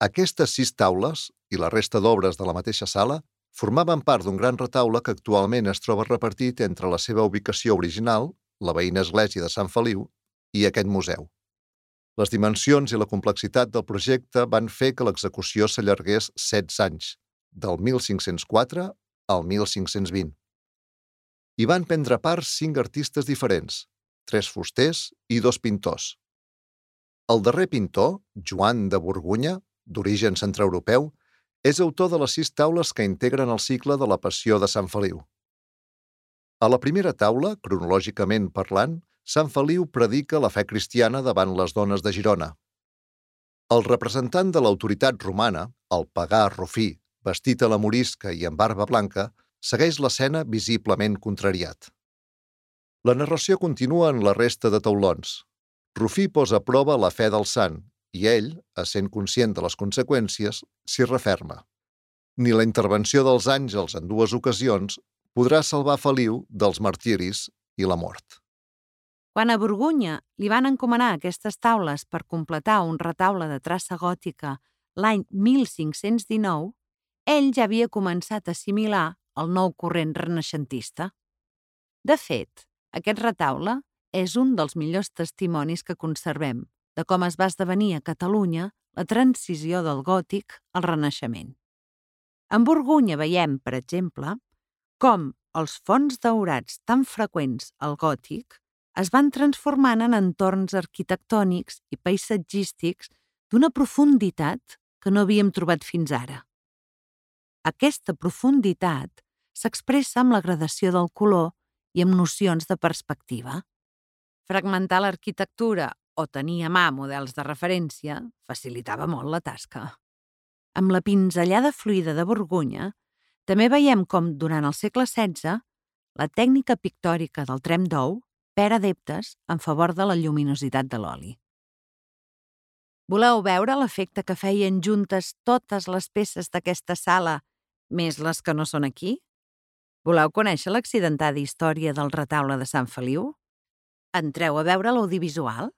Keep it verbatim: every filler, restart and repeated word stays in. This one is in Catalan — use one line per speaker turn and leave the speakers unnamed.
Aquestes sis taules i la resta d'obres de la mateixa sala formaven part d'un gran retaule que actualment es troba repartit entre la seva ubicació original, la veïna església de Sant Feliu, i aquest museu. Les dimensions i la complexitat del projecte van fer que l'execució s'allargués setze anys, del mil cinc-cents quatre al mil cinc-cents vint. Hi van prendre part cinc artistes diferents, tres fusters i dos pintors. El darrer pintor, Joan de Borgonya, d'origen centreeuropeu, és autor de les sis taules que integren el cicle de la Passió de Sant Feliu. A la primera taula, cronològicament parlant, Sant Feliu predica la fe cristiana davant les dones de Girona. El representant de l'autoritat romana, el pagà Rufí, vestit a la morisca i amb barba blanca, segueix l'escena visiblement contrariat. La narració continua en la resta de taulons. Rufí posa a prova la fe del sant i ell, essent conscient de les conseqüències, s'hi referma. Ni la intervenció dels àngels en dues ocasions podrà salvar Feliu dels martiris i la mort.
Quan a Borgonya li van encomanar aquestes taules per completar un retaule de traça gòtica l'any mil cinc-cents dinou, ell ja havia començat a assimilar el nou corrent renaixentista. De fet, aquest retaule és un dels millors testimonis que conservem de com es va esdevenir a Catalunya la transició del gòtic al renaixement. En Borgonya veiem, per exemple, com els fons daurats tan freqüents al gòtic es van transformant en entorns arquitectònics i paisatgístics d'una profunditat que no havíem trobat fins ara. Aquesta profunditat s'expressa amb la gradació del color i amb nocions de perspectiva. Fragmentar l'arquitectura o tenir a mà models de referència facilitava molt la tasca. Amb la pinzellada fluida de Borgonya, també veiem com, durant el segle setze, la tècnica pictòrica del tremp d'ou perd adeptes en favor de la lluminositat de l'oli. Voleu veure l'efecte que feien juntes totes les peces d'aquesta sala, més les que no són aquí? Voleu conèixer l'accidentada història del retaule de Sant Feliu? Entreu a veure l'audiovisual.